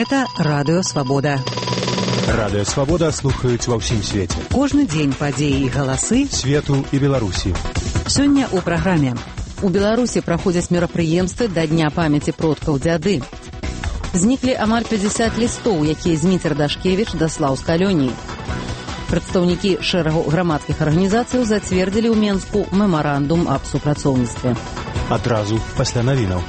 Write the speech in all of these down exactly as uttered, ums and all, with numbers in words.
Гэта Радыё Свабода. Радыё Свабода слухаюць ва ўсім свеце. Кожны дзень падзеі і галасы свету і Беларусі. Сёння ў праграме. У Беларусі праходзяць мерапрыемствы да Дня памяці продкаў дзяды. Зніклі амаль пятьдесят лістоў, якія Зміцер Дашкевіч даслаў з калоніі. Прадстаўнікі шэрагу грамадскіх арганізацыяў зацвердзілі ў Менску мемарандум аб супрацоўніцтве. Адразу пасля навінаў.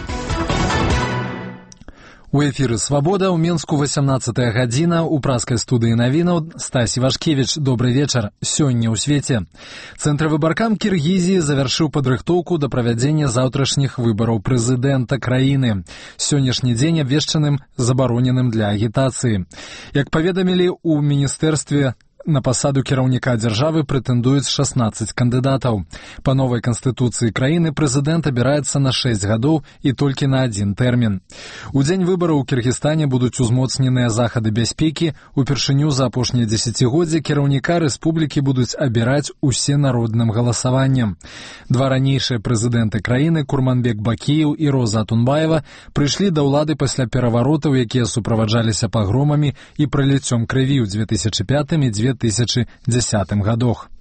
У эфіры «Свабода» ў Менску восемнадцатая гадзіна, у праскай студыі навінаў Стась Івашкевіч. Добры вечар. Сёння ў свеце. Цэнтравы баркам Кіргізіі завяршыў падрыхтоўку да правядзення заўтрашніх выбараў прэзідэнта краіны. Сённяшні дзень абвешчаным забароненым для агітацыі. Як паведамілі ў міністэрстве, на пасаду кіраўніка дзяржавы прэтэндуюць шаснаццаць кандыдатаў. Па новай канстытуцыі краіны прэзідэнт абіраецца на шэсць гадоў і толькі на адзін тэрмін. У дзень выбараў у Кіргізстане будуць узмоцненыя захады бяспекі. Упершыню за апошнія дзесяцігоддзі кіраўніка рэспублікі будуць абіраць усенародным галасаваннем. Два ранейшыя прэзідэнты краіны, Курманбек Бакіеў і Роза Атунбаева, прыйшлі да ўлады пасля пераваротаў, якія суправаджаліся пагромамі і праліццём крыві ў дзве тысячы пятым і дзве тысячы дзесятым гадах.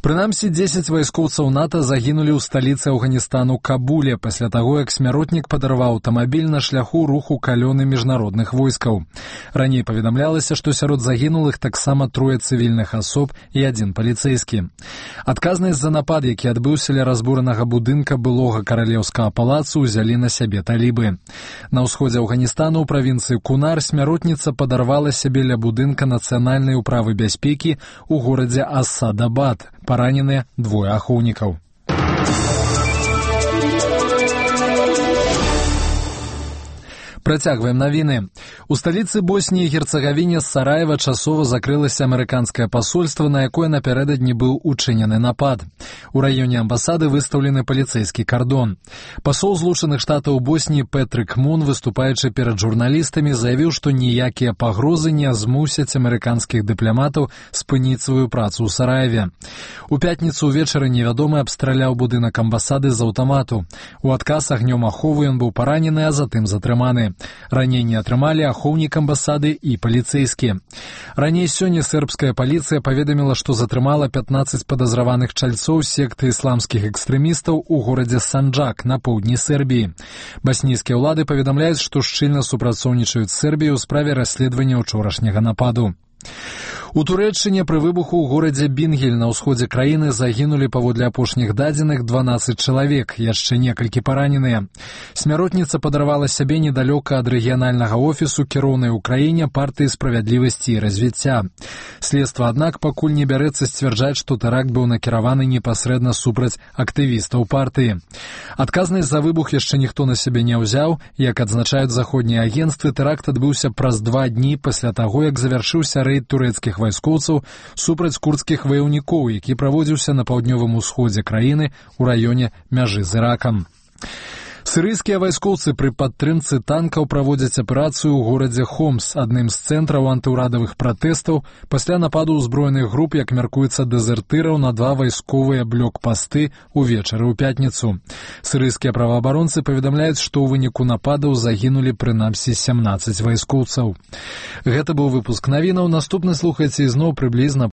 Прынамсі, дзесяць вайскоўцаў НАТО загінулі ў сталіцы Афганістану Кабуле пасля таго, як смяротнік падарваў аўтамабіль на шляху руху калёны міжнародных войскаў. Раней паведамлялася, што сярод загінулых таксама трое цывільных асоб і адзін паліцэйскі. Адказнасць за напад, які адбыўся ля разбуранага будынка былога каралеўскага палацу, узялі на сябе талібы. На ўсходзе Афганістану ў правінцыі Кунар смяротніца падарвала сябе ля будынка нацыянальнай управы бяспекі ў горадзе Асадабад. Параненыя двое ахоўнікаў. Працягваем навіны. У сталіцы Босніі і Герцагавіне з Сараева часова закрылася амерыканскае пасольства, на якое напярэдадні быў учынены напад. У раёне амбасады выстаўлены паліцэйскі кардон. Пасол Злучаных Штатаў Босніі Пэтрык Мун, выступаючы перад журналістамі, заявіў, што ніякія пагрозы не змусяць амерыканскіх дыпламатаў спыніць сваю працу ў Сараеве. У пятніцу ўвечары невядомы абстраляў будынак амбасады з аўтамату. У адказ агнём аховы ён быў паранены, а затым затрыманы. Раненні атрымалі ахоўнік амбасады і паліцэйскі. Раней сёння сербская паліцыя паведаміла, што затрымала пятнаццаць падазраваных чальцоў секты ісламскіх экстрэмістаў у горадзе Санджак на поўдні Сербіі. Баснійскія ўлады паведамляюць, што шчыльна супрацоўнічаюць з Сербіяй у справе расследавання ўчорашняга нападу. У Турэччыне пры выбуху ў горадзе Бінгель на ўсходзе краіны загінулі, паводле апошніх дадзеных, дванаццаць чалавек, яшчэ некалькі параненыя. Смяротніца падарвала сябе недалёка ад рэгіянальнага офісу кіроўнай у краіне партыі справядлівасці і развіцця. Следства, аднак, пакуль не бярэцца сцвярджаць, што тэракт быў накіраваны непасрэдна супраць актывістаў партыі. Адказнасць за выбух яшчэ ніхто на сябе не ўзяў. Як адзначаюць заходнія агенцтвы, тэракт адбыўся праз два дні пасля таго, як завяршыўся рэйд турэцкіх вайскоўцаў супраць курдскіх ваяўнікоў, які праводзіўся на паўднёвым усходзе краіны ў раёне мяжы з Іракам. Сірыйскія вайскоўцы пры падтрымцы танкаў праводзяць аперацыю ў горадзе Хомс, адным з цэнтраў антыўрадавых пратэстаў, пасля нападу ўзброеных груп, як мяркуецца, дэзертыраў на два вайсковыя блокпасты ўвечары ў пятніцу. Сірыйскія праваабаронцы паведамляюць, што ў выніку нападаў загінулі прынамсі сямнаццаць вайскоўцаў. Гэта быў выпуск навінаў. Наступны слухайце ізноў прыблізна